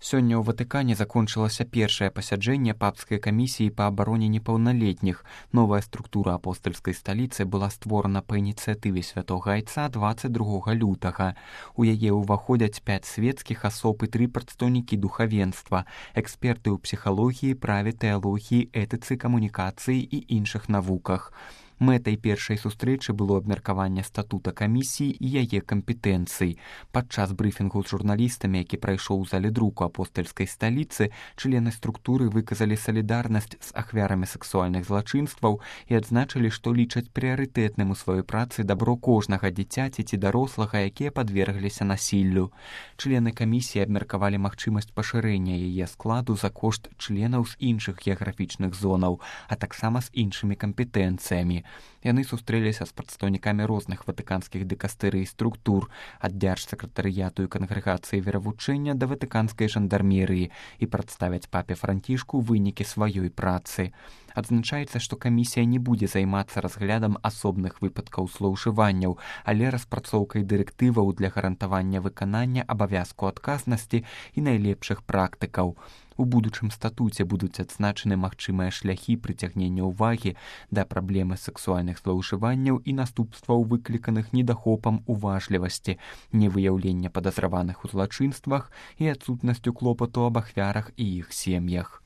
Сёння ў Ватыкане закончылася першае пасяджэнне папскай камісіі па абароне непаўналетніх. Новая структура апостальскай сталіцы была створана па ініцыятыве святога айца 22 лютага. У яе ўваходзяць 5 свецкіх асоб і 3 прадстаўнікі духавенства, эксперты ў псіхалогіі, праве, тэалогіі, этыцы, камунікацыі і іншых навуках. Мэтай першай сустрэчы было абмеркаванне статута камісіі і яе кампетэнцый. Падчас брыфінгу з журналістамі, які прайшоў у зале друку апостальскай сталіцы, члены структуры выказалі салідарнасць з ахвярамі сексуальных злачынстваў і адзначылі, што лічаць прыярытэтным у сваёй працы дабро кожнага дзіцяці ці дарослага, якія падвергліся насіллю. Члены камісіі абмеркавалі магчымасць пашырэння яе складу за кошт членаў з іншых геаграфічных зонаў, а таксама з іншымі кампетэнцыямі. Яны сустрэліся з прадстаўнікамі розных ватыканскіх дыкастэрый і структур, ад дзяржсакратарыяту і кангрэгацыі веравучэння да ватыканскай жандармерыі і прадставяць папе Францішку вынікі сваёй працы. Адзначаецца, што камісія не будзе займацца разглядам асобных выпадкаў злоўжыванняў, але распрацоўкай дырэктываў для гарантавання выканання абавязку адказнасці і найлепшых практыкаў. У будучым статуце будуць адзначаны магчымыя шляхі прыцягнення ўвагі да праблемы сексуальных злоўжыванняў і наступстваў, выкліканых недахопам уважлівасці, невыяўлення падазраваных у злачынствах і адсутнасцю клопату аб ахвярах і іх сем'ях.